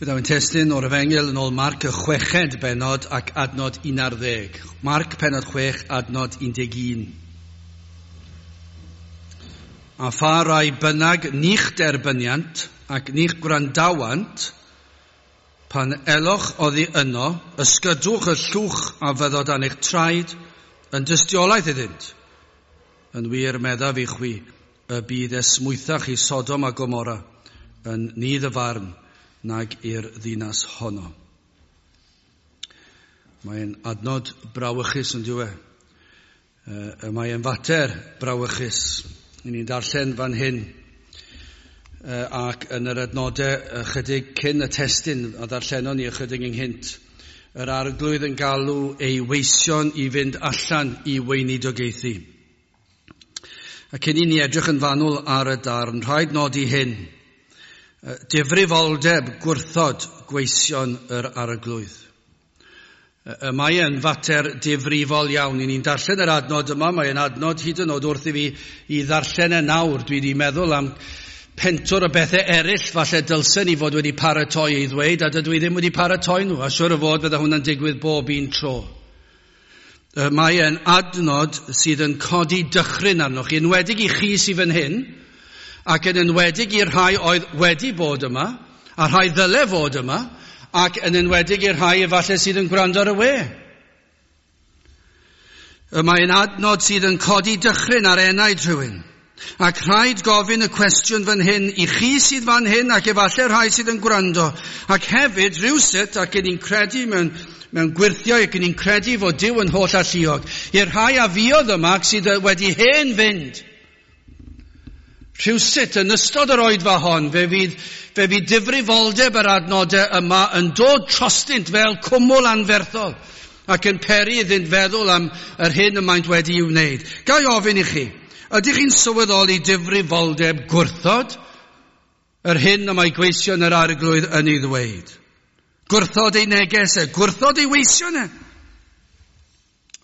Fe ddaw ein testun o'r Efengyl yn ôl Marc y chweched bennod ac adnod 11. Marc pennod 6, adnod 11. A pha rai bynnag ni'ch derbyniant ac ni'ch gwrandawant, pan eloch oddi yno, ysgydwch y llwch a fyddo dan eich traed yn dystiolaeth iddynt. Yn wir meddaf i chwi, y bydd esmwythach i Sodom a Gomorra yn nydd y farn nag i'r ddinas honno. Mae'n adnod brawychus yn diwe. Mae'n fater brawychus. I ni'n darllen fan hyn ac yn yr adnodau ychydig cyn y testun a ddarllenon ni ychydig ynghynt, yr arglwydd yn galw ei weision i fynd allan i weinidogaethu. A cyn i ni edrych yn fanwl ar y darn, rhaid nodi hyn. Difrifoldeb gwrthod gweision yr arglwydd. Mae e'n fater difrifol iawn. I ni'n darllen yr adnod yma, mae e'n adnod hyd yn oed wrth i fi i ddarllen e nawr. Dwi wedi meddwl am pentwr o bethau eraill falle dylsen i fod wedi paratoi ei ddweud, a dydw i ddim wedi paratoi nhw, a siwr o fod fydda hwnna'n digwydd bob un tro. Mae e'n adnod sydd yn codi dychryn arnoch chi, enwedig i chi sydd fan hyn, ac yn enwedig i'r rhai oedd wedi bod yma, a rhai ddyle fod yma, ac yn enwedig i'r rhai efallai sydd yn gwrando ar y we. Mae'n adnod sydd yn codi dychryn ar enaid rhywun. Ac rhaid gofyn y cwestiwn fan hyn i chi sydd fan hyn ac efallai rhai sydd yn gwrando. Ac hefyd rhywsut, ac yn ni'n credu mewn gwyrthiau ac yn ni'n credu fod Duw yn holl alluog, i'r rhai a fuodd yma ac sydd wedi hen fynd. Rhywsut yn ystod yr oedfa hon, fe fydd difrifoldeb yr adnodau yma yn dod trostynt fel cwmwl anferthol ac yn peri iddynt feddwl am yr hyn y maent wedi'i wneud. Ga i ofyn i chi, ydych chi'n sylweddoli difrifoldeb gwrthod yr hyn y mae gweision yr arglwydd yn ei ddweud? Gwrthod ei neges e, gwrthod ei weision e.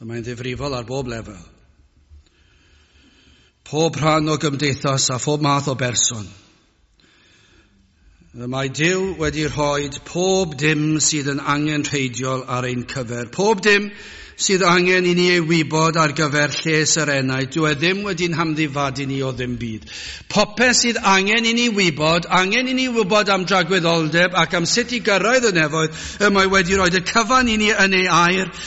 Mae'n ddifrifol ar bob lefel. Pob rhan o gymdeithas a phob math o berson. Mae Duw wedi rhoi pob dim sydd yn angenrheidiol ar ein cyfer. Pob dim sydd angen i ni ei wybod ar gyfer lles yr enaid. Dyw e ddim wedi'n hamddifadu ni o ddim byd. Popeth sydd angen i ni wybod, angen i ni wybod am dragwyddoldeb ac am sut i gyrraedd y nefoedd, y mae wedi rhoi y cyfan i ni yn ei air.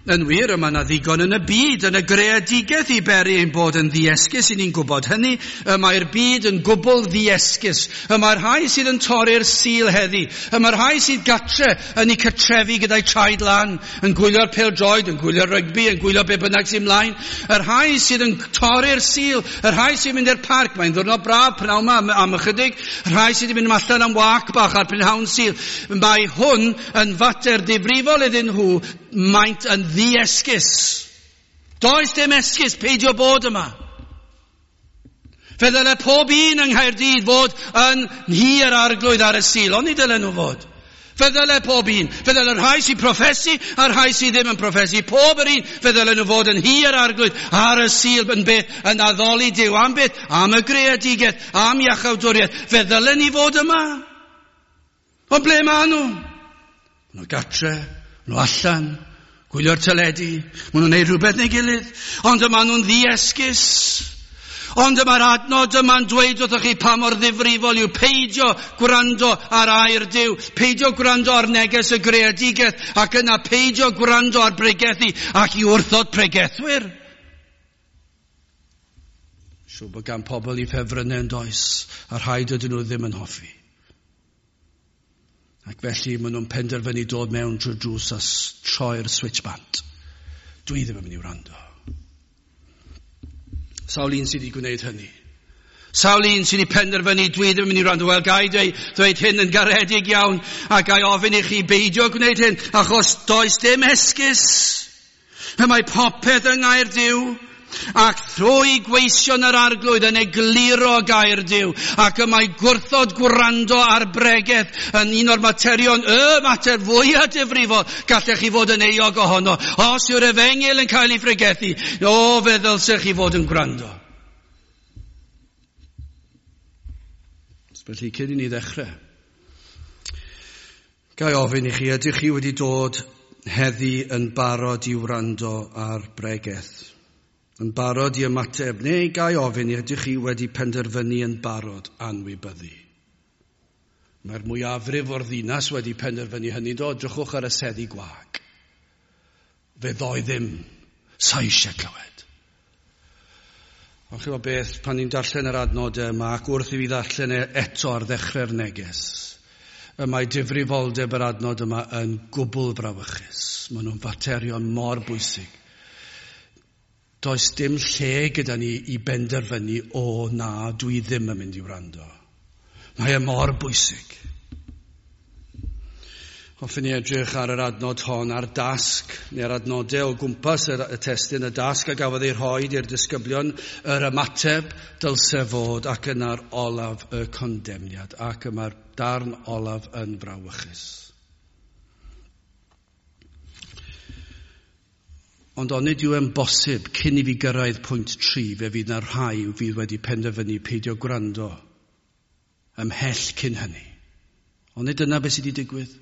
Yn wir, y mae yna ddigon yn y byd, yn y greadigaeth i beri ein bod yn ddiesgus, i ni'n gwybod hynny. Y mae'r byd yn gwbl ddiesgus. Y mae'r rhai sydd yn torri'r Sul heddi. Y mae'r rhai sydd gatre yn eu cartrefi gyda'i traed lan, yn gwylio'r pêl-droed, yn gwylio'r rygbi, yn gwylio be bynnag sy'n mlaen. Y rhai sydd yn torri'r Sul, y rhai sy'n mynd i'r parc, mae'n ddiwrnod braf prynhawn yma am ychydig, y rhai sydd yn mynd allan am wac bach ar prynhawn Sul. Mae hwn yn fater difrifol iddyn nhw, maent yn ddiesgus. Does dim esgus peidio bod yma. Fe ddyle pob un yng Nghaerdydd fod yn nhŷ yr arglwydd ar y Sul, ond ni dylen nhw fod. Fe ddyle pob un. Fe ddyle rhai sy'n proffesu a'r rhai sydd ddim yn proffesu. Pob yr un, fe ddylen nhw fod yn nhŷ yr arglwydd ar y Sul yn beth, yn addoli Duw. Am beth? Am y greadigaeth, am iachawdwriaeth. Fe ddylen ni fod yma. Ond ble maen nhw? Maen nhw gatre, maen nhw allan, gwylio'r teledu, maen nhw'n neud rhywbeth neu gilydd, ond yma nhw'n ddiesgus. Ond yma'r adnod yma'n dweud wrthych chi pa mor ddifrifol yw peidio gwrando ar air Duw, peidio gwrando ar neges y greadigaeth, ac yna peidio gwrando ar bregethu ac i wrthod pregethwyr. Siŵr bod gan pobl i ffefrynnau yn does, a rhai dydyn nhw ddim yn hoffi. Ac felly maen nhw'n penderfynu dod mewn trwy'r drws a troi'r switch bant. Dwi ddim yn mynd i wrando. Sawl un sydd wedi gwneud hynny. Sawl un sydd wedi penderfynu dwi ddim yn mynd i wrando. Wel, ga i dweud hyn yn garedig iawn a ga i ofyn i chi beidio gwneud hyn, achos does dim esgus. Mae popeth yng ngair Duw, ac thrwy gweision yr arglwydd yn egluro gair Duw, ac y mae gwrthod gwrando ar bregeth yn un o'r materion, y mater fwyaf difrifol gallech chi fod yn euog ohono. Os yw'r efengyl yn cael ei phregethu, o, fe ddylsech chi fod yn gwrando. Felly, cyn i ni ddechrau, Ga i ofyn i chi, ydych chi wedi dod heddi yn barod i wrando ar bregeth? Yn barod i ymateb, neu ga i ofyn i ydych chi wedi penderfynu yn barod anwybyddu? Mae'r mwyafrif o'r ddinas wedi penderfynu hynny, do, drychwch ar y seddi gwag. Fe ddoi ddim, sa eisiau clywed. Ond chi'n gwybod beth, pan ni'n darllen yr adnodau yma, ac wrth i fi ddarllen e eto ar ddechrau'r neges, y mae difrifoldeb yr adnod yma yn gwbl brawychus. Maen nhw'n faterion mor bwysig. Does dim lle gyda ni i benderfynu, o na, dwi ddim yn mynd i wrando. Mae e mor bwysig. Hoffwn i edrych ar yr adnod hon, ar dasg, neu'r adnodau o gwmpas y testun, y dasg a gafodd ei rhoi i'r disgyblion, yr ymateb dylse fod, ac yna'r olaf y condemniad, ac yma'r darn olaf yn frawychus. Ond onid yw e'n bosib, cyn i fi gyrraedd pwynt 3, fe fydd na rhai fydd wedi penderfynu peidio gwrando ymhell cyn hynny. Onid dyna beth sydd wedi digwydd?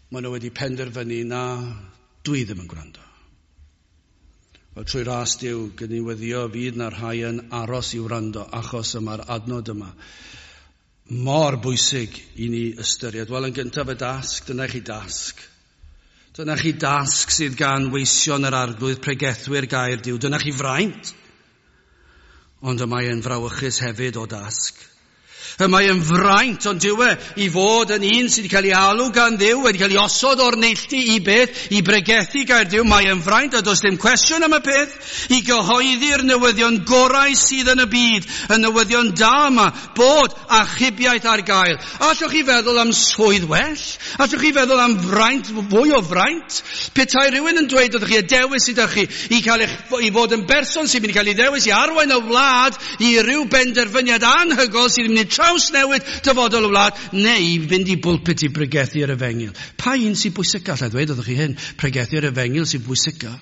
Maen nhw wedi penderfynu na, dwi ddim yn gwrando. Wel, trwy ras Duw, gyn i weddio fydd na rhai yn aros i wrando, achos yma'r adnod yma mor bwysig i ni ystyried. Wel, yn gyntaf y dasg, dyna chi dasg. Dyna chi dasg sydd gan weision yr arglwydd, pregethwyr gair Duw. Dyna chi fraint. Ond y mae yn frawychus hefyd o dasg. Y mae yn fraint, ond dyw e, i fod yn un sydd wedi cael ei alw gan Dduw, wedi cael ei osod o'r neilltu i beth, i bregethu gair Duw. Mae yn fraint, a does dim cwestiwn am y peth, i gyhoeddi'r newyddion gorau sydd yn y byd, y newyddion da yma, bod achubiaeth ar gael. Allwch chi feddwl am swydd well? Allwch chi feddwl am fraint, fwy o fraint? Petai rhywun yn dweud wrthych chi, y dewis sydd â chi, i, cael eich, i fod yn berson sy'n mynd i cael ei ddewis i arwain y wlad i ryw benderfyniad anhygoel sydd yn mynd i trawsnewid dyfodol y wlad, neu fynd i bwlpit i bregethu'r efengyl. Pa un sy'n bwysica? Alla i ddweud wrthych chi hyn, pregethu'r efengyl sy'n bwysica.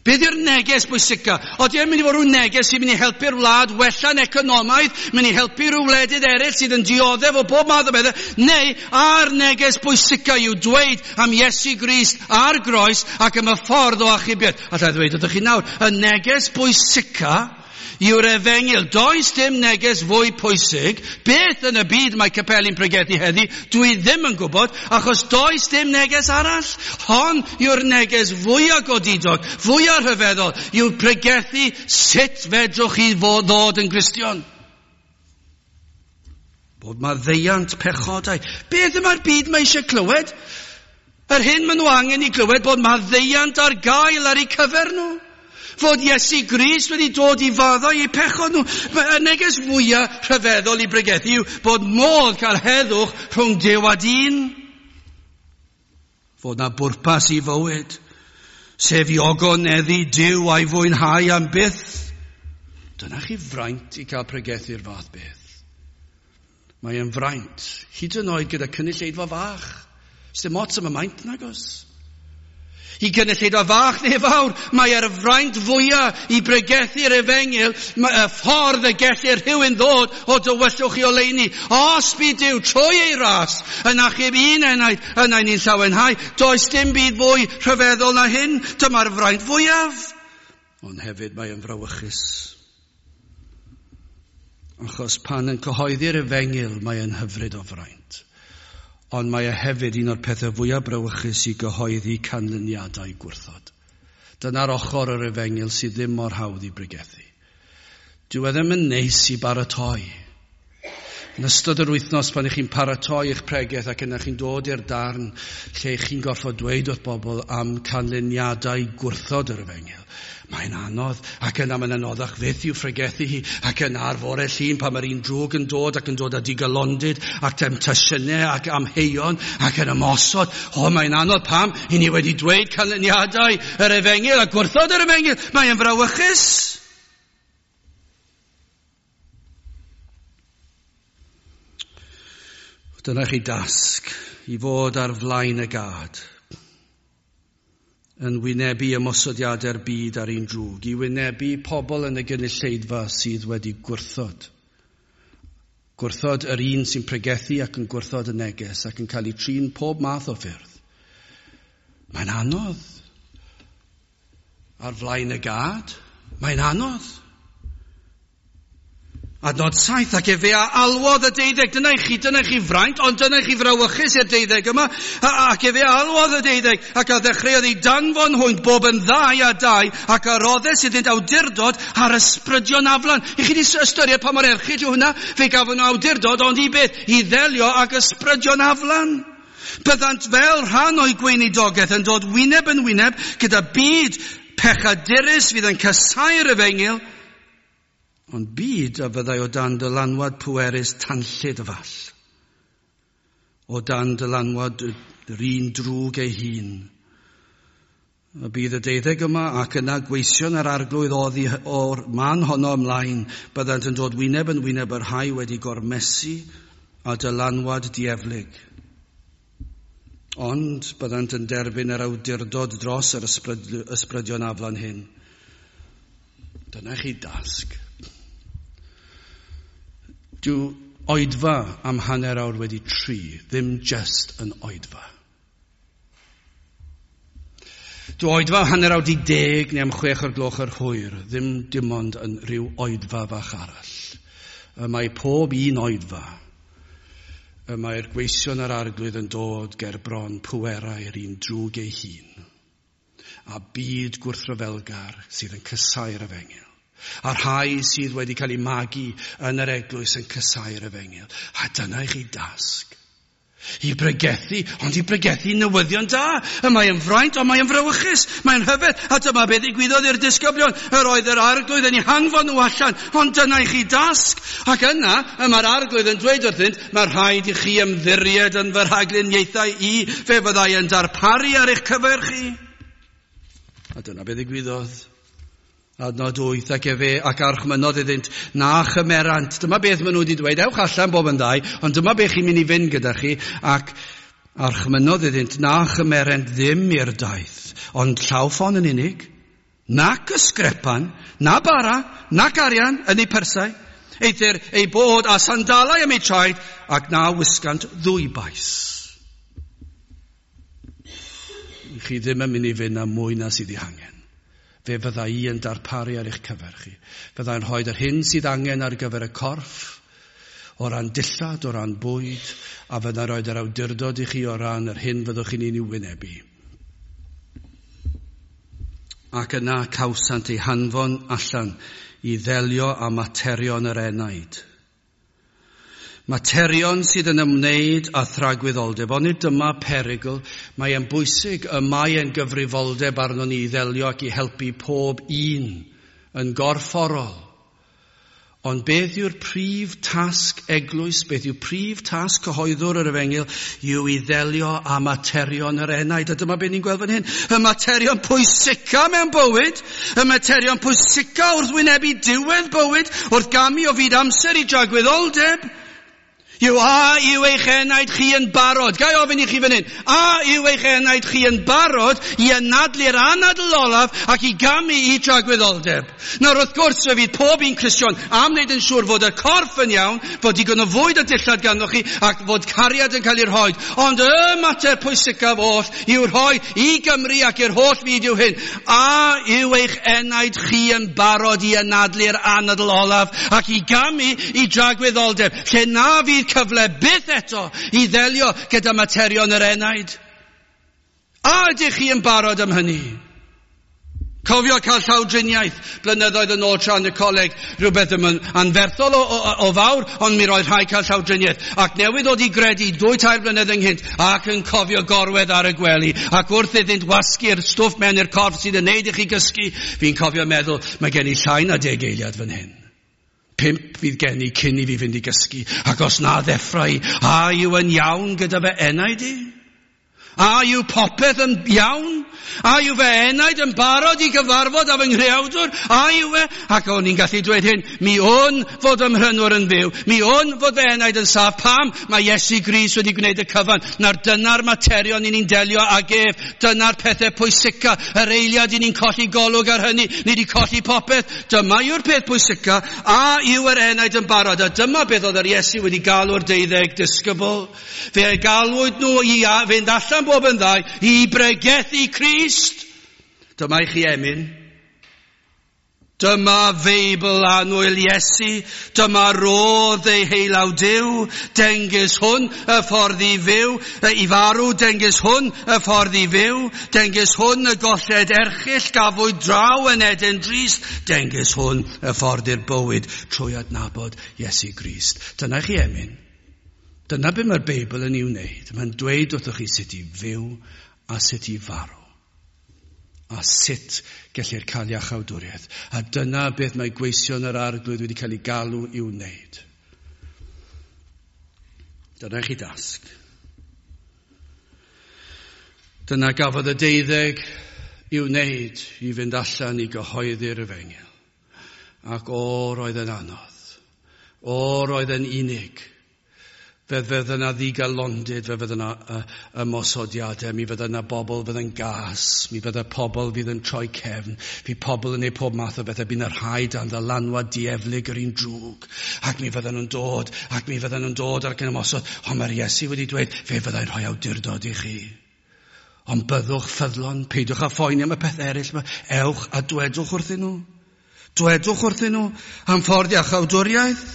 Beth yw'r neges bwysica? Oeddi e'n mynd i fod rhyw neges sy'n mynd i helpu'r wlad wella'n economaidd, mynd i helpu rhyw wledydd eraill sydd yn dioddef o bob math o bethau, neu a'r neges bwysica yw dweud am Iesu Grist a'r groes ac am y ffordd o achubiaeth. Alla i ddweud wrthych chi nawr, y neges bwysica yw'r efengyl. Does dim neges fwy pwysig. Beth yn y byd mae capeli'n pregethu heddi? Dwi ddim yn gwybod, achos does dim neges arall. Hon yw'r neges fwyaf godidog, fwyaf rhyfeddol, yw pregethu sut fedrwch chi fod ddod yn Gristion. Bod maddeuant pechodau. Beth yma'r byd mae eisiau clywed? Yr hyn maen nhw angen i glywed bod maddeuant ar gael ar eu cyfer nhw. Fod Iesu Grist wedi dod i faddau eu pechod nhw. Y neges fwyaf rhyfeddol i bregethu yw bod modd cael heddwch rhwng Duw a dyn. Fod na bwrpas i fywyd, sef i ogoneddu Duw a'i fwynhau am byth. Dyna chi fraint i cael pregethu'r fath beth. Mae e'n fraint, hyd yn oed gyda cynulleidfa fach. Sdim ots am y maint nagos. I gynulleidfa fach neu fawr, mae e'r fraint fwyaf i bregethu'r efengyl, y ffordd y gellir rhywun ddod o dywyllwch i oleuni. Os bydd Duw trwy ei ras yn achub un enaid, yna ni'n llawenhau. Does dim byd fwy rhyfeddol na hyn. Dyma'r fraint fwyaf. Ond hefyd mae yn frawychus. Achos pan yn cyhoeddi'r efengyl, mae yn hyfryd o fraint. Ond mae e hefyd un o'r pethau fwyaf brawychus i gyhoeddi canlyniadau gwrthod. Dyna'r ochr yr efengyl sydd ddim mor hawdd i bregethu. Dyw e ddim yn neis i baratoi. Yn ystod yr wythnos pan ych chi'n paratoi eich pregeth ac yna chi'n dod i'r darn lle chi'n gorfod dweud wrth bobl am canlyniadau gwrthod yr efengyl. Mae'n anodd, ac yna mae'n anoddach fyth i'w phregethu hi, ac yna ar fore Llun pan mae'r un drwg yn dod ac yn dod â digalondid ac temtasiynau ac amheuon ac yn ymosod. O, mae'n anodd pam i ni wedi dweud canlyniadau yr efengyl a gwrthod yr efengyl. Mae'n frawychus. Dyna chi dasg i fod ar flaen y gad, yn wynebu ymosodiadau'r byd ar un drwg, i wynebu pobl yn y gynulleidfa sydd wedi gwrthod Gwrthod yr un sy'n pregethu ac yn gwrthod y neges ac yn cael ei trin pob math o ffyrdd. Mae'n anodd. Ar flaen y gad, mae'n anodd. Adnod 7, ac efe a alwodd y 12, dyna i chi fraint, ond dyna i chi frawychus i'r 12 yma, ac efe a alwodd y 12, ac a ddechreuodd ei danfon hwynt bob yn 2 a 2, ac a roddes iddynt awdurdod ar ysbrydion aflan. I chi wedi ystyried pa mor erchyll yw hwnna? Fe gafon nhw awdurdod, ond i beth? I ddelio ag ysbrydion aflan. Byddant fel rhan o'i gweinidogaeth yn dod wyneb yn wyneb gyda byd pechadurus fydd yn casáu'r efengyl, ond byd a fyddai o dan dylanwad pwerus tanllyd y fall. O dan dylanwad yr un drwg ei hun. Y bydd y 12 yma ac yna gweision yr arglwydd oddi o'r man honno ymlaen, byddant yn dod wyneb yn wyneb yr rhai wedi gormesu a dylanwad dieflig. Ond byddant yn derbyn yr awdurdod dros yr ysbrydion aflan hyn. Dyna chi dasg. Dyw oedfa am 3:30 ddim just yn oedfa. Dyw oedfa 10:30 neu am 6:00 yr hwyr ddim dim ond yn rhyw oedfa fach arall. Y mae pob un oedfa, y mae'r gweision yr arglwydd yn dod ger bron pwerau'r un drwg ei hun, a byd gwrthryfelgar sydd yn casáu'r efengyl. A rhai sydd wedi cael eu magu yn yr eglwys yn casáu'r efengyl. A dyna i chi dasg. I bregethu, ond i bregethu newyddion da. Y mae yn fraint, ond mae yn frawychus. Mae'n rhyfedd, a dyma beth ddigwyddodd i'r disgyblion. Yr oedd yr arglwydd yn eu hanfon nhw allan, ond dyna i chi dasg. Ac yna, y mae'r arglwydd yn dweud wrthynt, mae rhaid i chi ymddiried yn fy rhagluniaethau i, fe fyddai yn darparu ar eich cyfer chi. A dyna beth ddigwyddodd. Adnod 8, ac efe ac archmynodd iddynt, na chymerant. Dyma beth maen nhw wedi dweud, ewch allan bob yn ddau, ond dyma beth chi'n mynd i fynd gyda chi, ac archmynodd iddynt, na chymerent ddim i'r daith, ond llaw ffon yn unig, nac ysgrepan, na bara, nac arian yn eu persau, eithr eu bod â sandalau am eu traed, ac na wisgant ddwy bais. Chi ddim yn mynd i fynd am mwy na sydd ei hangen. Fe fydda i yn darparu ar eich cyfer chi. Fyddai'n rhoi yr hyn sydd angen ar gyfer y corff, o ran dillad, o ran bwyd, a fyddai'n rhoi yr awdurdod i chi o ran yr hyn fyddwch chi'n ei wynebu. Ac yna cawsant eu hanfon allan i ddelio â materion yr enaid. Materion sydd yn ymwneud â thragwyddoldeb, ond nid dyma perygl, mae e'n bwysig, y mae e'n gyfrifoldeb arnon ni i ddelio ac i helpu pob un yn gorfforol. Ond beth yw'r prif tasg eglwys, beth yw prif tasg cyhoeddwr yr efengyl, yw i ddelio â materion yr enaid. A dyma beth ni'n gweld fan hyn. Y materion pwysica mewn bywyd, y materion pwysica wrth wynebu diwedd bywyd, wrth gamu o fyd amser i dragwyddoldeb, yw a yw eich enaid chi yn barod? Ga i ofyn i chi fan hyn. A yw eich enaid chi yn barod i anadlu'r anadl olaf ac i gamu i dragwyddoldeb? Nawr wrth gwrs fe fydd pob un Cristion am wneud yn siŵr fod y corff yn iawn, fod digon o fwyd a dillad ganddo chi ac fod cariad yn cael ei rhoi. Ond y mater pwysicaf oll i'w rhoi i Gymru ac i'r holl fyd yw hyn. A yw eich enaid chi yn barod i anadlu'r anadl olaf ac i gamu i dragwyddoldeb, lle na fydd cyfle byth eto i ddelio gyda materion yr enaid? A ydych chi yn barod am hynny? Cofio cael llawdriniaeth blynyddoedd yn ôl tra yn y coleg, rhywbeth ddim yn anferthol o fawr, ond mi roedd rhaid cael llawdriniaeth. Ac newydd ddod i gredu 2-3 blynedd ynghynt, ac yn cofio gorwedd ar y gwely, ac wrth iddynt wasgu'r stwff mewn i'r corff sydd yn neud i chi gysgu, fi'n cofio meddwl, mae gen i llai na 10 eiliad fan hyn. 5 fydd gen i cyn i fi fynd i gysgu, ac os na ddeffra i, a yw yn iawn gyda fy enaid i? A yw popeth yn iawn? A yw fy enaid yn barod i gyfarfod â fy nghreawdwr? A yw e? Ac o'n i'n gallu dweud hyn, mi wn fod fy mhrynwr yn fyw, mi wn fod fy enaid yn saff. Pam? Mae Iesu Grist wedi gwneud y cyfan. Nawr dyna'r materion i ni'n delio ag ef, dyna'r pethau pwysica, yr eiliad i ni'n colli golwg ar hynny, ni wedi colli popeth. Dyma yw'r peth pwysica, a yw yr enaid yn barod? A dyma beth oedd yr Iesu wedi galw'r 12 disgybl. Fe galwyd nhw i fynd allan bob yn ddau i bregethu Crist. Dyma i chi emyn. Dyma Feibl annwyl Iesu, dyma rodd ei heilaw Duw, dengys hwn y ffordd i fyw, i farw, dengys hwn y ffordd i fyw, dengys hwn y golled erchyll gafwyd draw yn Eden drist, dengys hwn y ffordd i'r bywyd trwy adnabod Iesu Grist. Dyna chi emyn. Dyna be mae'r Beibl yn ei wneud. Mae'n dweud wrthych chi sut i fyw a sut i farw. A sut gellir cael iachawdwriaeth. A dyna beth mae gweision yr Arglwydd wedi cael ei galw i'w wneud. Dyna chi dasg. Dyna gafodd y 12 i'w wneud i fynd allan i gyhoeddi'r efengyl. Ac o, roedd yn anodd. O, roedd yn unig. Fe fydd yna ddigalondid, fe fydd yna ymosodiadau, mi fydd yna bobl fydd yn gas, mi fydd y pobl fydd yn troi cefn, fydd pobl yn ei pob math o bethau, bydd yna rhai dan ddylanwad dieflig yr un drwg, ac mi fydden nhw'n dod, ac mi fydden nhw'n dod ac yn ymosod, ond mae'r Iesu wedi dweud, fe fyddai'n rhoi awdurdod i chi. Ond byddwch ffyddlon, peidiwch â phoeni am y peth eraill yma, ewch a dwedwch wrthyn nhw. Dwedwch wrthyn nhw am ffordd iachawdwriaeth.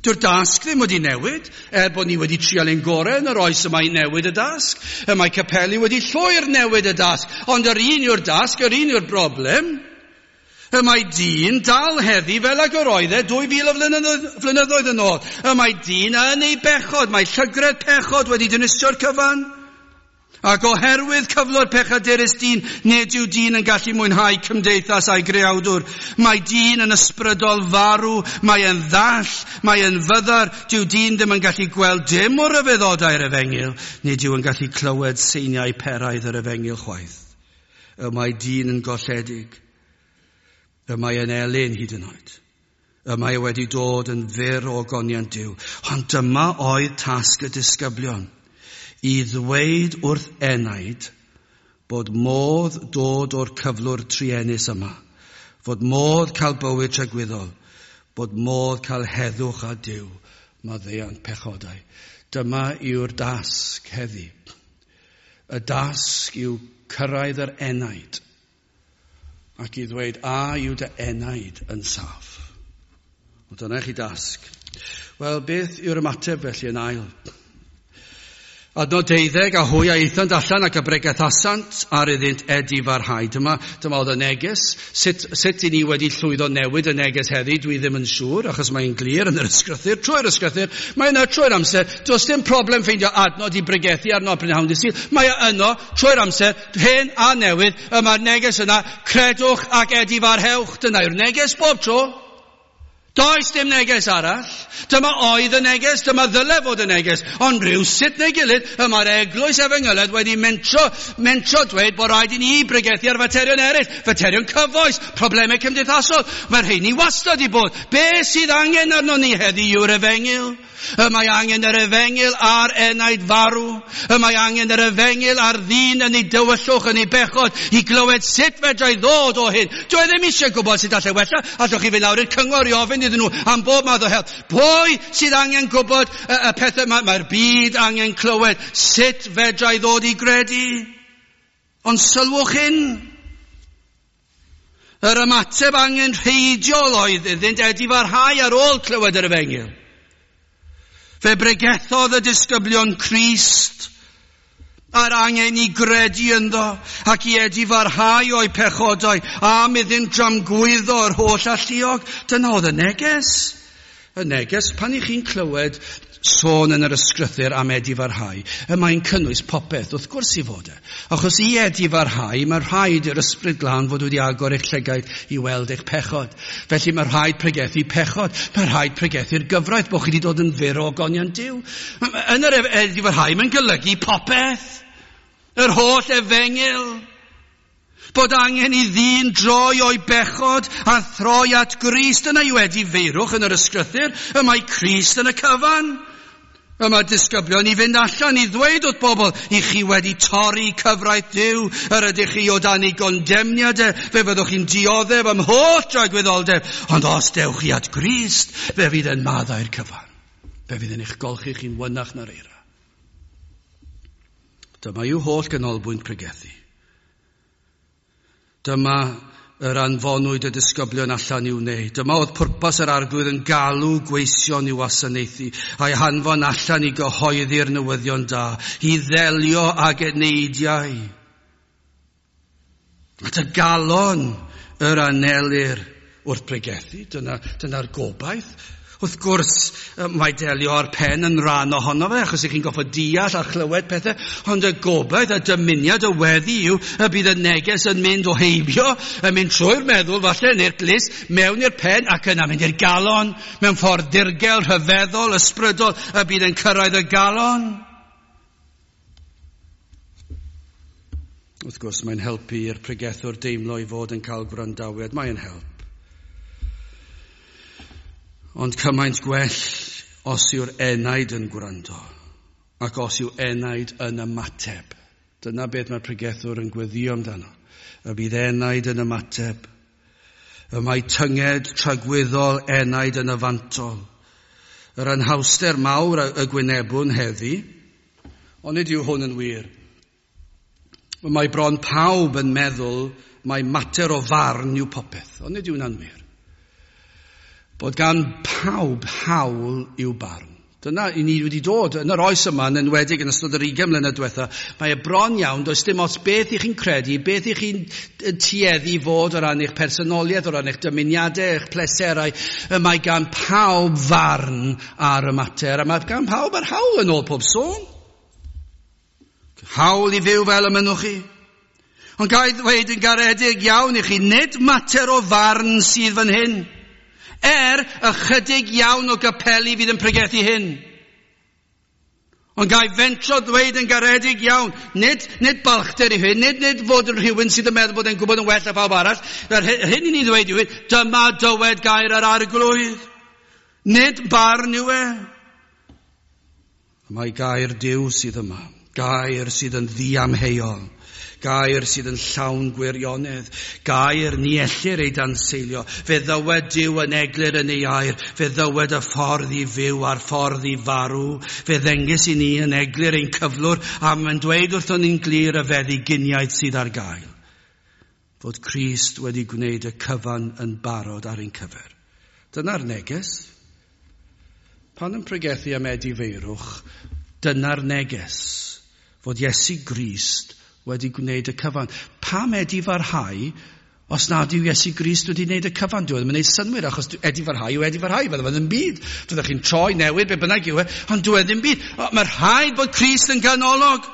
Dyw'r dasg ddim wedi newid, er bod ni wedi trial ein gorau yn yr oes yma i newid y dasg. Y mae capeli wedi llwyr newid y dasg, ond yr un yw'r dasg, yr un yw'r broblem. Y mae dyn dal heddi fel ag yr oedd e 2000 o flynyddoedd yn ôl. Y mae dyn yn ei bechod, mae llygredd pechod wedi dinistrio'r cyfan. Ac oherwydd cyflwr pechadurus dyn, nid yw dyn yn gallu mwynhau cymdeithas a'i greawdwr. Mae dyn yn ysbrydol farw, mae e'n ddall, mae e'n fyddar. Dyw dyn ddim yn gallu gweld dim o ryfeddodau'r efengyl, nid yw yn gallu clywed seiniau peraidd yr efengyl chwaith. Y mae dyn yn golledig. Y mae e'n elyn hyd yn oed. Y mae e wedi dod yn fyr o ogoniant Duw. Ond dyma oedd tasg y disgyblion. I ddweud wrth enaid bod modd dod o'r cyflwr truenus yma, fod modd cael bywyd tragwyddol, bod modd cael heddwch â Duw, maddeuant pechodau. Dyma yw'r dasg heddi. Y dasg yw cyrraedd yr enaid ac i ddweud, a yw dy enaid yn saff? O, dyna chi dasg. Wel, beth yw'r ymateb felly yn ail? Adnod 12, a hwy a aethant allan ac a bregethasant ar iddynt edifarhau. Dyma oedd y neges. Sut i ni wedi llwyddo newid y neges heddi, dwi ddim yn siŵr, achos mae'n glir yn yr ysgrythur, trwy'r ysgrythur, mae yna trwy'r amser. Does dim problem ffeindio adnod i bregethu arno prynhawn dydd Sul. Mae yno trwy'r amser, hen a newydd, y mae'r neges yna, credwch ac edifarhewch. Dyna yw'r neges bob tro. Does dim neges arall. Dyma oedd y neges, dyma ddyle fod y neges. Ond rhyw sut neu gilydd, y mae'r eglwys efengylaidd wedi mentro dweud bod rhaid i ni bregethu ar faterion eraill, faterion cyfoes, problemau cymdeithasol. Mae'r rheini wastad i bod. Be sydd angen arno ni heddi yw'r efengyl. Y mae angen yr efengyl ar enaid farw. Y mae angen yr efengyl ar ddyn yn ei dywyllwch, yn ei bechod, i glywed sut fedrai ddod o hyn. Dwi ddim eisiau gwybod sut allai wella. Allwch chi fynd lawr i'r cyngor i ofyn iddyn nhw am bob math o help. Pwy sydd angen gwybod y pethau yma? Mae'r byd angen clywed sut fedrai ddod i gredu. Ond sylwch hyn. Yr ymateb angenrheidiol oedd iddynt edifarhau ar ôl clywed yr efengyl. Fe bregethodd y disgyblion Crist a'r angen i gredu ynddo ac i edifarhau o'i pechodau am iddynt dramgwyddo yr holl alluog. Dyna oedd y neges. Y neges, pan i chi'n clywed sôn yn yr ysgrythur am edifarhau, y mae'n cynnwys popeth, wrth gwrs i fod e. Achos i edifarhau, mae rhaid i'r Ysbryd Glân fod wedi agor eich llygaid i weld eich pechod. Felly mae rhaid pregethu pechod, mae rhaid pregethu'r gyfraith, bod chi wedi dod yn fyr o ogoniant Duw. Yn yr edifarhau, mae'n golygu popeth. Yr holl efengyl. Bod angen i ddyn droi o'i bechod a throi at Grist. Yna yw edifeirwch yn yr ysgrythur. Y mae Crist yn y cyfan. Y mae disgyblion i fynd allan i ddweud wrth bobl, i chi wedi torri cyfraith Duw, yr ydych chi o dan ei gondemniad e, fe fyddwch chi'n dioddef am holl dragwyddoldeb, ond os dewch chi at Grist, fe fydd yn maddau'r cyfan. Fe fydd yn eich golchi chi'n wynach na'r eira. Dyma yw holl ganolbwynt pregethu. Dyma yr anfonwyd y disgyblion allan i'w wneud. Dyma oedd pwrpas yr Arglwydd yn galw gweision i'w wasanaethu, a'i hanfon allan i gyhoeddi'r newyddion da, i ddelio ag eneidiau. At y galon yr anelir wrth pregethu, dyna'r gobaith. Wrth gwrs, mae delio â'r pen yn rhan ohono fe, achos ych chi'n goffod deall a chlywed pethau, ond y gobaith, y dymuniad, y weddi yw y bydd y neges yn mynd o heibio, yn mynd trwy'r meddwl falle, neu'r glust, mewn i'r pen ac yna mynd i'r galon, mewn ffordd dirgel, rhyfeddol, ysbrydol, y bydd yn cyrraedd y galon. Wrth gwrs, mae'n helpu i'r pregethwr deimlo i fod yn cael gwrandawiad. Mae'n help. Ond cymaint gwell os yw'r enaid yn gwrando ac os yw enaid yn ymateb. Dyna beth mae'r pregethwr yn gweddio amdano. Y bydd enaid yn ymateb. Y mae tynged tragwyddol enaid yn y fantol. Yr anhawster mawr y gwynebwn heddi, ond nid yw hwn yn wir. Mae bron pawb yn meddwl mae mater o farn yw popeth, ond nid yw hwnna'n wir. Bod gan pawb hawl i'w barn. Dyna i ni wedi dod yn yr oes yma, yn enwedig yn ystod yr 20 mlynedd diwetha, mae e bron iawn, does dim ots beth i chi'n credu, beth i chi'n tueddu fod o ran eich personoliaeth, o ran eich dymuniadau, eich pleserau, y mae gan pawb farn ar y mater, a mae gan pawb yr hawl yn ôl pob sôn. Hawl i fyw fel y mynnwch chi. Ond ga i ddweud yn garedig iawn i chi, nid mater o farn sydd fan hyn. Ychydig iawn o gapeli fydd yn pregethu hyn. Ond ga i fentro ddweud yn garedig iawn, nid balchder i hyn, nid fod yn rhywun sydd yn meddwl bod e'n gwybod yn well na phawb arall. Yr hyn i ni ddweud yw, dyma dywed gair yr Arglwydd. Nid barn yw e. Mae gair Duw sydd yma, gair sydd yn ddiamheuol. Gair sydd yn llawn gwirionedd, gair ni ellir ei danseilio. Fe ddywed Duw yn eglur yn ei air, fe ddywed y ffordd i fyw a'r ffordd i farw. Fe ddengys i ni yn eglur ein cyflwr, a mae'n dweud wrthon ni'n glir y feddyginiaeth sydd ar gael. Fod Crist wedi gwneud y cyfan yn barod ar ein cyfer. Dyna'r neges. Pan yn pregethu am edifeirwch, dyna'r neges. Fod Iesu Grist wedi gwneud y cyfan. Pam edifarhau os nad yw Iesu Grist wedi gwneud y cyfan? Dyw e ddim yn gwneud synnwyr, achos edifarhau yw edifarhau, fydde fe ddim byd. Fyddwch chi'n troi, newid, be bynnag yw e, ond dyw e ddim byd. Mae rhaid bod Crist yn ganolog.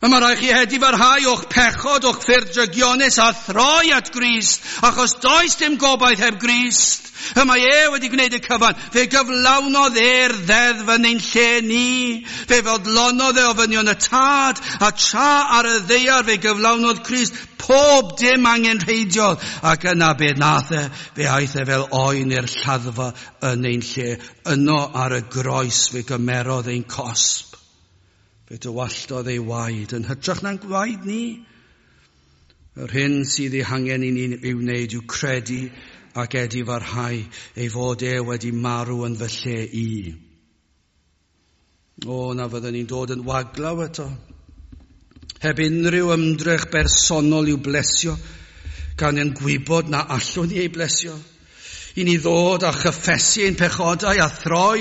A mae rhaid chi edifarhau o'ch pechod, o'ch ffyrdd drygionus a throi at Grist, achos does dim gobaith heb Grist. Y mae e wedi gwneud y cyfan. Fe gyflawnodd e'r ddeddf yn ein lle ni. Fe fodlonodd e ofynion y tad, a tra ar y ddaear fe gyflawnodd Crist pob dim angenrheidiol. Ac yna be nath e, fe aeth e fel oen i'r lladdfa yn ein lle. Yno ar y groes fe gymerodd ein cosb. Fe dywalltodd ei waed yn hytrach na'n gwaed ni. Yr hyn sydd ei hangen i ni ei wneud yw credu ac edifarhau ei fod e wedi marw yn fy lle i. O, na fyddwn ni'n dod yn waglaw eto. Heb unrhyw ymdrech bersonol i'w blesio, gan yn gwybod na allwn ni ei blesio. I ni ddod a chyffesu ein pechodau a throi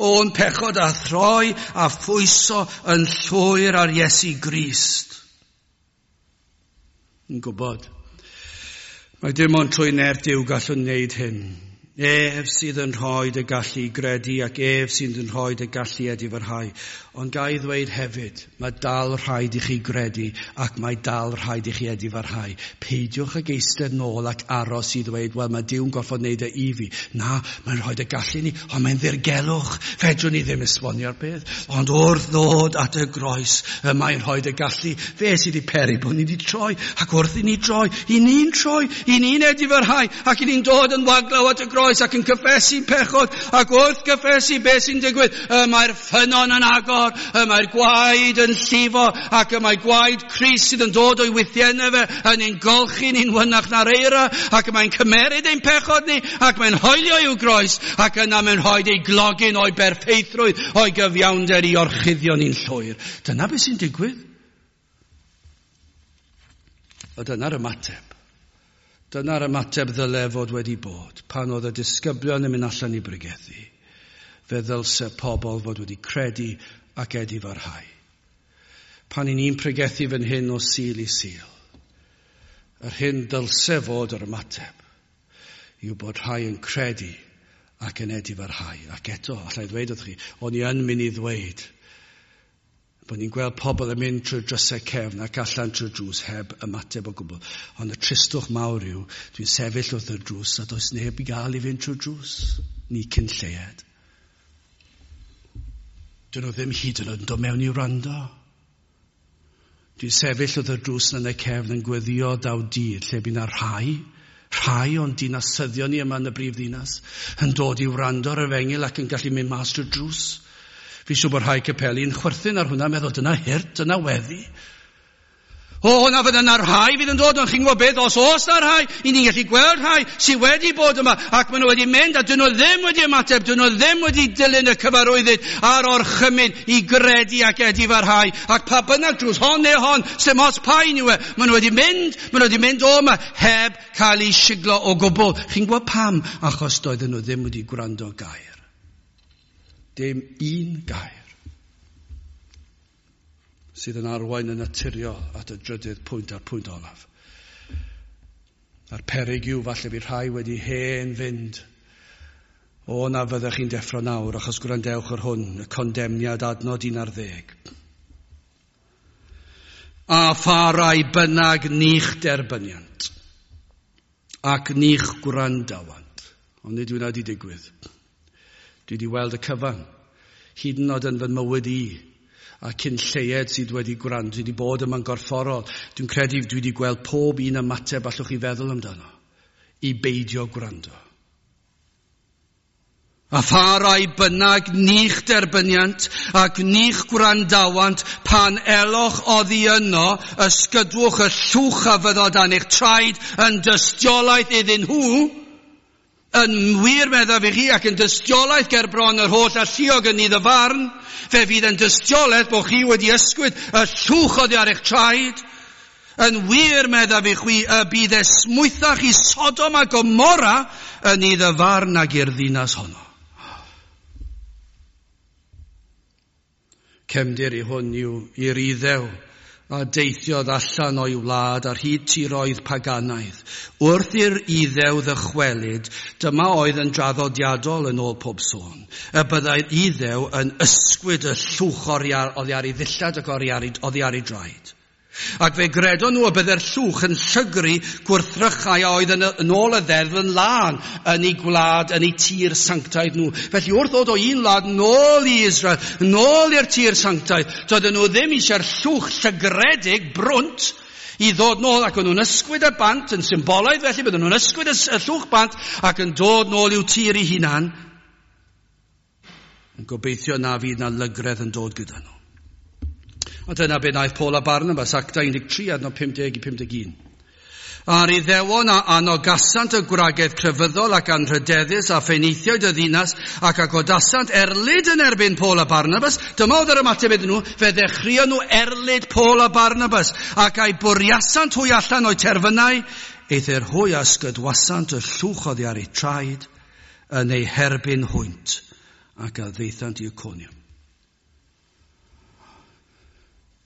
o'n pechod a throi a phwyso yn llwyr ar Iesu Grist. Yn gwybod, mae dim ond trwy nerth Duw gallwn wneud hyn. Ef sydd yn rhoi y gallu i gredu ac ef sydd yn rhoi y gallu edifarhau. Ond ga i ddweud hefyd, mae dal rhaid i chi gredu ac mae dal rhaid i chi edifarhau. Peidiwch ag eistedd nôl ac aros i ddweud, wel, mae Duw'n gorfod wneud e i fi. Na, mae'n rhoi y gallu ni, ond mae'n ddirgelwch. Fedrwn ni ddim esbonio'r peth. Ond wrth ddod at y groes, y mae'n rhoi y gallu. Fe sydd wedi peri bod ni wedi troi, ac wrth i ni droi, i ni'n troi, i ni'n edifarhau, ac i ni'n dod yn waglaw at y groes ac yn cyffesu pechod, ac wrth gyffesu beth sy'n digwydd, y mae'r ffynnon yn agor, y mae'r gwaed yn llifo, ac y mae gwaed Crist sydd yn dod o'i wythiennau fe yn ein golchi ni'n wynach na'r eira, ac y mae'n cymeryd ein pechod ni, ac mae'n hoelio i'w groes, ac yna mae'n rhoi ei glogyn o'i berffeithrwydd, o'i gyfiawnder i orchuddio ni'n llwyr. Dyna beth sy'n digwydd. A dyna'r ymateb. Dyna'r ymateb ddyle fod wedi bod pan oedd y disgyblion yn mynd allan i bregethu. Fe ddylse pobl fod wedi credu ac edifarhau. Pan i ni'n pregethu fan hyn o Sul i Sul, yr hyn ddylse fod yr ymateb yw bod rhai yn credu ac yn edifarhau. Ac eto, allai ddweud wrth chi, o'n i yn mynd i ddweud bod ni'n gweld pobl yn mynd trwy'r drysau cefn ac allan trwy'r drws heb ymateb o gwbl. Ond y tristwch mawr yw, dwi'n sefyll wrth y drws a does neb i gael i fynd trwy'r drws. Ni cyn lleied. Dyn nhw ddim hyd yn oed yn dod mewn i wrando. Dwi'n sefyll wrth y drws yn y cefn yn gweddio daw dydd lle bydd na rhai o'n dinasyddion ni yma yn y brif ddinas yn dod i wrando ar yr efengyl ac yn gallu mynd mas trwy'r drws. Fi'n siŵr bod rhai capeli'n chwerthin ar hwnna, meddwl, dyna hurt, dyna weddi. O, na fydda na rhai fydd yn dod, ond chi'n gwybod beth, os oes na rhai, i ni'n gallu gweld rhai sydd wedi bod yma, ac maen nhw wedi mynd, a dyn nhw ddim wedi ymateb, dyn nhw ddim wedi dilyn y cyfarwyddyd a'r orchymyn i gredu ac edifarhau, ac pa bynnag drws, hon neu hon, sy'n ots pa un yw e, maen nhw wedi mynd, maen nhw wedi mynd o yma, heb cael eu siglo o gwbl. Chi'n gwybod pam? Achos doedden nhw ddim wedi gwrando gair. Dim un gair sydd yn arwain yn naturiol at y drydydd pwynt a'r pwynt olaf. A'r peryg yw falle bydd rhai wedi hen fynd. O, na fyddech chi'n deffro nawr, achos gwrandewch ar hwn, y condemniad adnod 11. A pha rai bynnag ni'ch derbyniant, ac ni'ch gwrandawant. Ond nid yw wedi digwydd. Dwi wedi weld y cyfan, hyd yn oed yn fy mywyd i, a cyn lleied sydd wedi gwrando, dwi wedi bod yma'n gorfforol. Dwi'n credu dwi wedi gweld pob un ymateb allwch chi feddwl amdano, i beidio gwrando. A pha rai bynnag ni'ch derbyniant ac ni'ch gwrandawant pan eloch oddi yno, ysgydwch y llwch a fyddo dan eich traed yn dystiolaeth iddyn nhw, yn wir meddaf i chi ac yn dystiolaeth ger bron yr holl alluog yn nydd y farn, fe fydd yn dystiolaeth bod chi wedi ysgwyd y llwch oddi ar eich traed. Yn wir meddaf i chwi y bydd esmwythach i Sodom a Gomorra yn nydd y farn ag i'r ddinas honno. Cefndir i hwn yw i'r Iddew a deithiodd allan o'i wlad ar hyd tiroedd paganaidd. Wrth i'r Iddew ddychwelyd, dyma oedd yn draddodiadol yn ôl pob sôn. Y byddai'r Iddew yn ysgwyd y llwch oddi ar ei ddillad ac oddi ar ei draed. Ac fe gredon nhw y byddai'r llwch yn llygru gwrthrychau a oedd yn ôl y ddeddf yn lân yn ei gwlad, yn ei tir sanctaidd nhw. Felly wrth ddod o un wlad nôl i Israel, nôl i'r tir sanctaidd, doedden nhw ddim eisiau'r llwch llygredig brwnt i ddod nôl, ac o'n nhw'n ysgwyd y bant yn symbolaidd, felly bydden nhw'n ysgwyd y llwch bant ac yn dod nôl i'w tir eu hunan, yn gobeithio na fydd na lygredd yn dod gyda nhw. A dyna be wnaeth Paul a Barnabas, Actau 13, adnod 50 i 51. A'r Iddewon a anogasant y gwragedd crefyddol ac anrhydeddus a phenaethiaid y ddinas ac a godasant erlid yn erbyn Paul a Barnabas. Dyma oedd yr ymateb iddyn nhw, fe ddechreuon nhw erlid Paul a Barnabas ac a'i bwriasant hwy allan o'u terfynau, eithr hwy a ysgydwasant y llwch oddi ar eu traed yn eu herbyn hwynt ac a ddaethant i Iconium.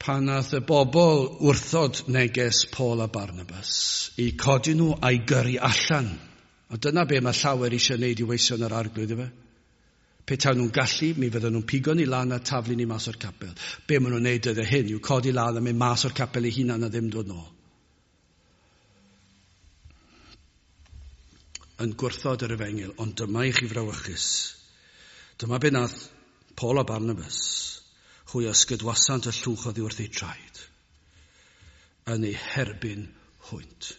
Pan nath y bobl wrthod neges Paul a Barnabas i codi nhw a'i gyrru allan A dyna be mae llawer eisiau wneud i weision yr Arglwydd, ife? Petawn nhw'n gallu, mi fydden nhw'n pigo ni lan a taflu ni mas o'r capel. Be maen nhw'n wneud dyddiau hyn yw codi lan a mynd mas o'r capel eu hunan a ddim dod nôl. Yn gwrthod yr efengyl, ond dyma i chi frawychus. Dyma be nath Paul a Barnabas, hwy ysgydwasant y llwch oddi wrth eu traed, yn eu herbyn hwynt.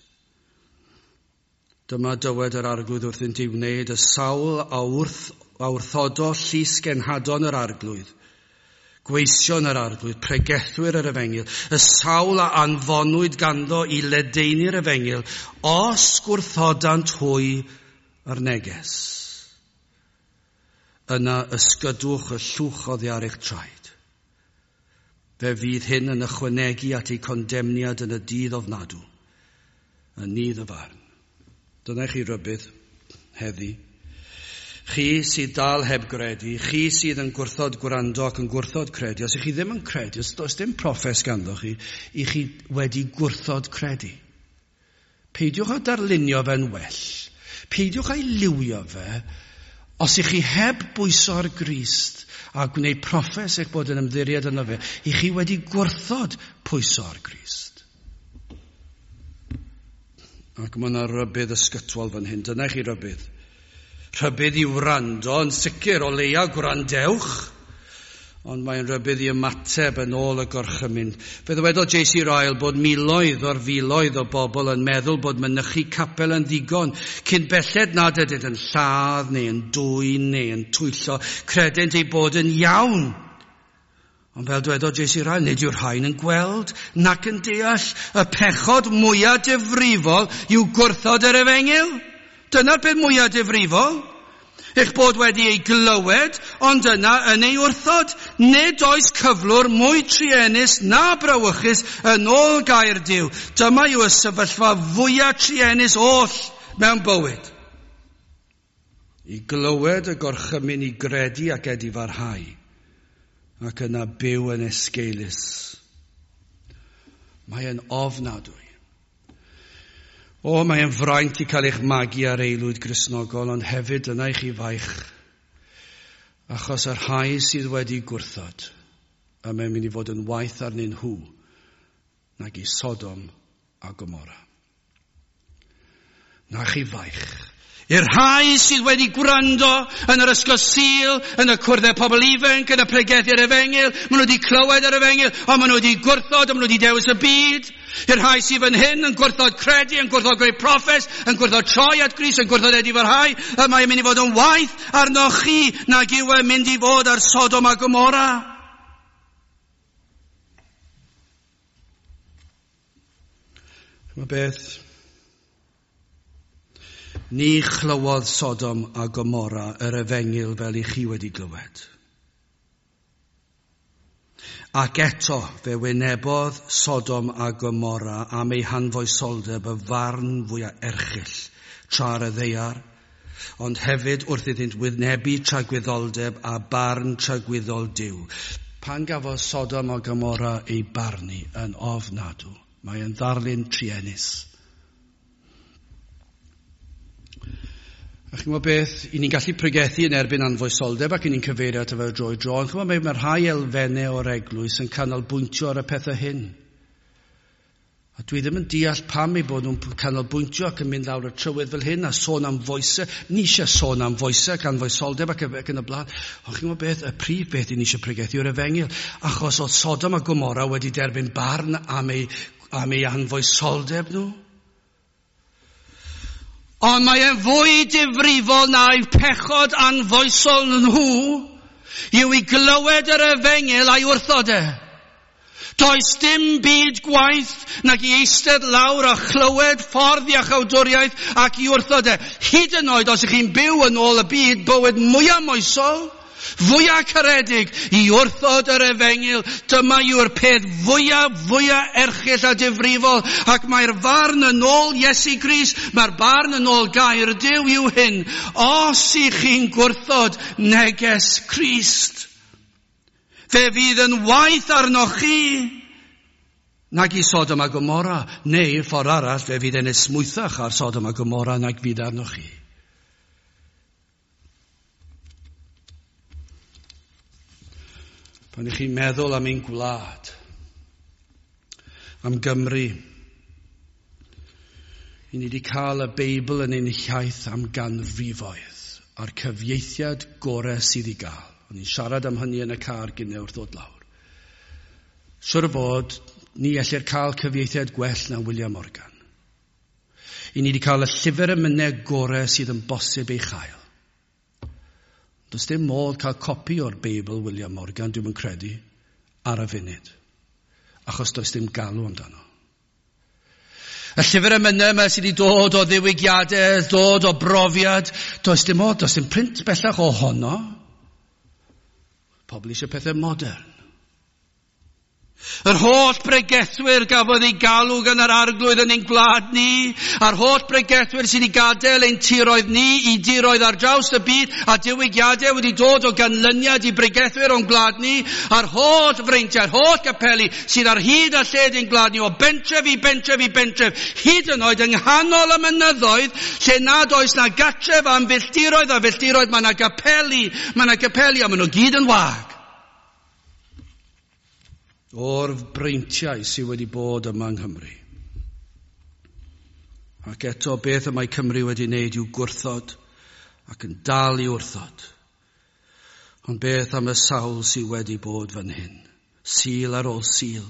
Dyma dywed yr Arglwydd wrthynt i wneud y sawl a wrth a wrthodo llys genhadon yr Arglwydd, gweision yr Arglwydd, pregethwyr yr efengyl, y sawl a anfonwyd ganddo i ledaenu'r efengyl, os gwrthodant hwy yr neges. Yna ysgydwch y llwch oddi ar eich traed. Fe fydd hyn yn ychwanegu at eu condemniad yn y dydd ofnadw, yn nydd y farn. Dyna chi rybudd heddi. Chi sydd dal heb gredu, chi sydd yn gwrthod gwrando ac yn gwrthod credu, os ych chi ddim yn credu, os does dim proffes ganddo chi, i chi wedi gwrthod credu. Peidiwch â darlunio fe'n well. Peidiwch â'i liwio fe. Os ych chi heb bwyso ar Grist a gwneud proffes eich bod yn ymddiried yno fe, i chi wedi gwrthod pwyso ar Grist. Ac mae yna rybudd ysgytwol fan hyn. Dyna i chi rybudd. Rhybudd i wrando, yn sicr o leia gwrandewch, ond mae'n rhybudd i ymateb yn ôl y gorchymyn. Fe ddywedodd J.C. Ryle bod miloedd o'r filoedd o bobl yn meddwl bod mynychu capel yn ddigon, cyn belled nad ydynt yn lladd neu yn dwyn neu yn twyllo, credent eu bod yn iawn. Ond fel dwedodd J.C. Ryle, nid yw'r rhain yn gweld nac yn deall y pechod mwyaf difrifol yw gwrthod yr efengyl. Dyna'r peth mwyaf difrifol. Eich bod wedi ei glywed, ond yna yn ei wrthod. Nid oes cyflwr mwy truenus na brawychus yn ôl gair Duw. Dyma yw y sefyllfa fwyaf truenus oll mewn bywyd. I glywed y gorchymyn i gredu ac edifarhau, ac yna byw yn esgeulus. Mae yn ofnadwy. O, mae yn fraint i cael eich magu ar aelwyd Gristnogol, ond hefyd yna i chi faich, achos y rhai sydd wedi gwrthod, a mae'n mynd i fod yn waeth arnyn nhw nag i Sodom a Gomorra. Na chi faich. I'r rhai sydd wedi gwrando yn yr ysgol Sul, yn y cwrddau pobl ifanc, yn y pregethu'r efengyl, maen nhw wedi clywed yr efengyl, ond maen nhw wedi gwrthod, ond maen nhw wedi dewis y byd. I'r rhai sydd fan hyn yn gwrthod credu, yn gwrthod gwneud proffes, yn gwrthod troi at Grist, yn gwrthod edifarhau, y mae'n mynd i fod yn waeth arnoch chi nag yw e'n mynd i fod ar Sodom a Gomorra. Mae beth? Ni chlywodd Sodom a Gomorra yr efengyl fel i chi wedi glywed. Ac eto fe wynebodd Sodom a Gomorra am ei hanfoesoldeb y farn fwyaf erchyll tra ar y ddaear, ond hefyd wrth iddynt wynebu tragwyddoldeb a barn tragwyddol Duw. Pan gafodd Sodom a Gomorra ei barnu yn ofnadw, mae yn ddarlun truenus. A chi'n gwybod beth, i ni'n gallu pregethu yn erbyn anfoesoldeb ac i ni'n cyfeirio ato fe drwy dro, ond chi'n gwybod, mae rhai elfennau o'r eglwys yn canolbwyntio ar y pethau hyn. A dwi ddim yn deall pam eu bod nhw'n canolbwyntio ac yn mynd lawr y trywydd fel hyn a sôn am foesau. Ni eisiau sôn am foesau ac anfoesoldeb ac yn y blaen. Ond chi'n gwybod beth, y prif beth i ni eisiau pregethu yw'r efengyl. Achos oedd Sodom a Gomorra wedi derbyn barn am ei anfoesoldeb nhw. Ond mae e'n fwy difrifol na'i pechod anfoesol nhw yw i glywed yr efengyl a'i wrthod e. Does dim byd gwaeth nag i eistedd lawr a chlywed ffordd iachawdwriaeth ac i wrthod e. Hyd yn oed os ych chi'n byw yn ôl y byd bywyd mwyaf moesol, fwyaf caredig, i wrthod yr efengyl, dyma yw'r peth fwyaf erchyll a difrifol, ac mae'r farn yn ôl Iesu Grist, mae'r barn yn ôl gair Duw yw hyn. Os ych chi'n gwrthod neges Crist, fe fydd yn waeth arnoch chi Nag i Sodom a Gomorra, neu ffordd arall fe fydd e'n esmwythach ar Sodom a Gomorra nag fydd arnoch chi. Pan ych chi'n meddwl am ein gwlad, am Gymru, i ni wedi cael y Beibl yn ein hiaith am ganrifoedd a'r cyfieithiad gorau sydd i gael. O'n i'n siarad am hynny yn y car gynnau wrth ddod lawr. Siwr o fod, ni ellir cael cyfieithiad gwell na William Morgan. I ni wedi cael y llyfr emynau gorau sydd yn bosib ei chael. Does dim modd cael copi o'r Beibl William Morgan, dwi'm yn credu, ar y funud. Achos does dim galw amdano. Y llyfr emynau yma sydd wedi dod o ddiwygiadau, dod o brofiad, does dim modd, does dim print bellach ohono. Pobl eisiau pethau modern. Yr holl bregethwyr gafodd ei galw gan yr arglwydd yn ein gwlad ni, a'r holl bregethwyr sydd wedi gadael ein tiroedd ni i diroedd ar draws y byd, a diwygiadau wedi dod o ganlyniad i bregethwyr o'n gwlad ni, a'r holl freintiau, a'r holl capeli sydd ar hyd a lled ein gwlad ni, o bentref i bentref i bentref, hyd yn oed yng nghanol y mynyddoedd, lle nad oes na gatref am filltiroedd a filltiroedd, mae yna gapeli, mae yna gapeli, a maen nhw gyd yn wag. O'r breintiau sydd wedi bod yma yng Nghymru. Ac eto beth y mae Cymru wedi wneud yw gwrthod ac yn dal i wrthod. Ond beth am y sawl sydd wedi bod fan hyn, Sul ar ôl Sul,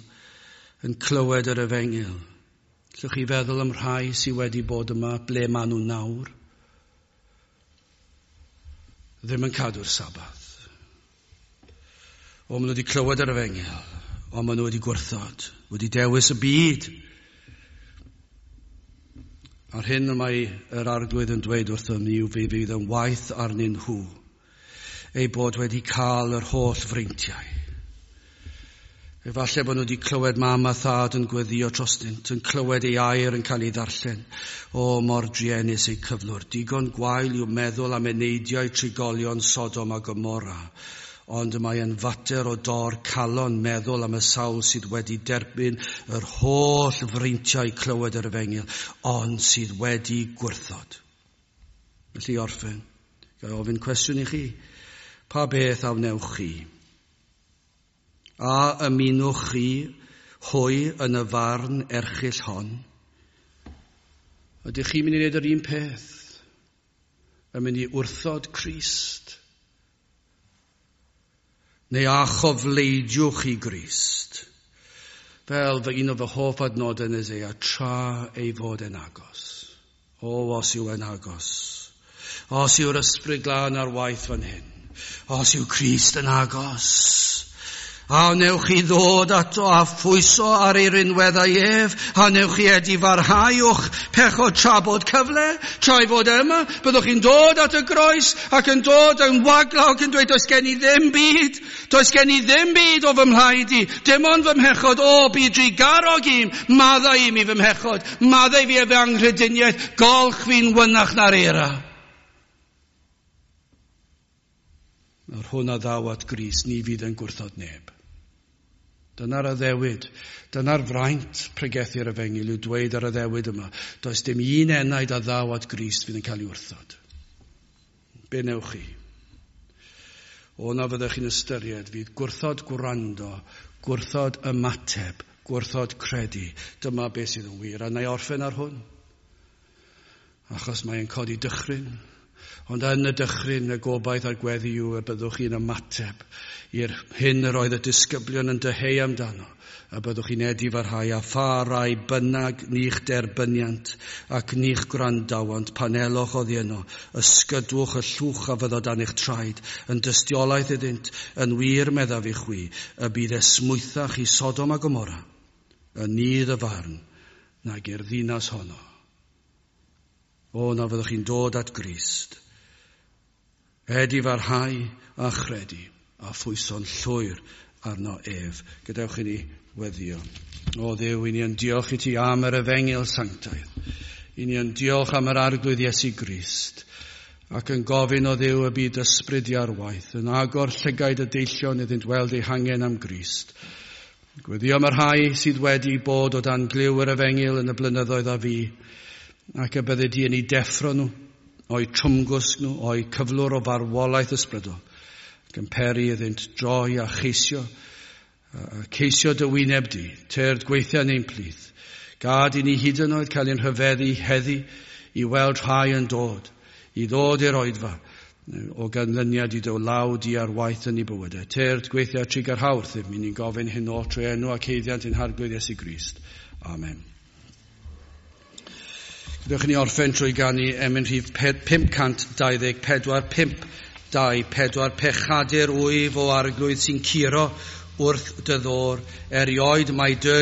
yn clywed yr efengyl. Allwch chi feddwl am rhai sydd wedi bod yma, ble maen nhw nawr? Ddim yn cadw'r Sabath. O, maen nhw wedi clywed yr efengyl. Ond maen nhw wedi gwrthod, wedi dewis y byd. A'r hyn y mae yr arglwydd yn dweud wrthym ni yw fe fydd yn waeth arnyn nhw eu bod wedi cael yr holl freintiau. Efallai bod nhw wedi clywed mam a thad yn gweddio drostynt, yn clywed ei air yn cael ei ddarllen. O, mor druenus eu cyflwr. Digon gwael yw meddwl am eneidiau trigolion Sodom a Gomorra. Ond mae yn fater o dor calon meddwl am y sawl sydd wedi derbyn yr holl freintiau clywed yr efengyl, ond sydd wedi gwrthod. Felly orffen, ga i ofyn cwestiwn i chi. Pa beth a wnewch chi? A ymunwch chi hwy yn y farn erchyll hon? Ydych chi'n mynd i wneud yr un peth? Yn mynd i wrthod Crist? Neu a chofleidiwch i Grist? Fel fy un o fy hoff adnodau yn Eseia, tra ei fod yn agos. O, os yw yn agos. Os yw'r ysbryd glân ar waith fan hyn. Os yw Crist yn agos. A wnewch chi ddod ato a phwyso ar ei rinweddau ef, a wnewch chi edifarhau o'ch pechod tra bod cyfle, tra ei fod yma, byddwch chi'n dod at y groes ac yn dod yn waglaw ac yn dweud, does gen i ddim byd, does gen i ddim byd o fy mhlaid i, dim ond fy mhechod, o, byd drugarog im, maddau i mi fy mhechod, maddau fi efo anghrediniaeth, golch fi'n wynach na'r eira. Nawr hwn a ddaw at Grist, ni fydd yn gwrthod neb. Dyna'r addewid, dyna'r fraint pregethu'r efengyl yw dweud ar addewid yma. Does dim un enaid a ddaw at Grist fydd yn cael ei wrthod. Be newch chi? O na fyddech chi'n ystyried fydd gwrthod gwrando, gwrthod ymateb, gwrthod credu. Dyma beth sydd yn wir. A na i orffen ar hwn. Achos mae'n codi dychryn. Ond yn y dychryn, y gobaith a'r gweddi yw y byddwch chi'n ymateb i'r hyn yr oedd y disgyblion yn dyheu amdano, a byddwch chi'n edifarhau a pha rai bynnag ni'ch derbyniant ac ni'ch gwrandawant pan elwch oddi yno, ysgydwch y llwch a fyddo dan eich traed, yn dystiolaeth iddynt, yn wir meddaf i chwi, y bydd esmwythach i Sodom a Gomorra, yn nydd y farn, nag i'r ddinas honno. O, na fyddwch chi'n dod at Grist. Edifarhau a chredu a phwyso'n llwyr arno ef. Gadewch i ni weddio. O Dduw, i ni yn diolch i ti am yr efengyl sanctaidd. I ni yn diolch am yr arglwydd Iesu Grist. Ac yn gofyn o Dduw y byd ysbryd i ar waith, yn agor llygaid y deillion iddynt weld eu hangen am Grist. Gweddio am y rhai sydd wedi bod o dan glyw yr efengyl yn y blynyddoedd a fu, ac y bydde di yn eu deffro nhw, o'u trwmgwsg nhw, o'u cyflwr o farwolaeth ysbrydol, ac yn peri iddynt droi a cheisio, a ceisio dy wyneb di, tyrd gweithio yn ein plith. Gad i ni hyd yn oed cael ein rhyfeddu heddi i weld rhai yn dod, i ddod i'r oedfa, o ganlyniad i dy law di ar waith yn ei bywydau. Tyrd gweithio trugarha wrthym, i ni'n gofyn hyn oll trwy enw ac haeddiant ein Harglwydd Iesu Grist. Amen. Gadewch i ni orffen trwy ganu emyn rhif 524, 5, 2, 4, pechadur wyf o Arglwydd sy'n curo wrth dy ddôr, erioed mae dy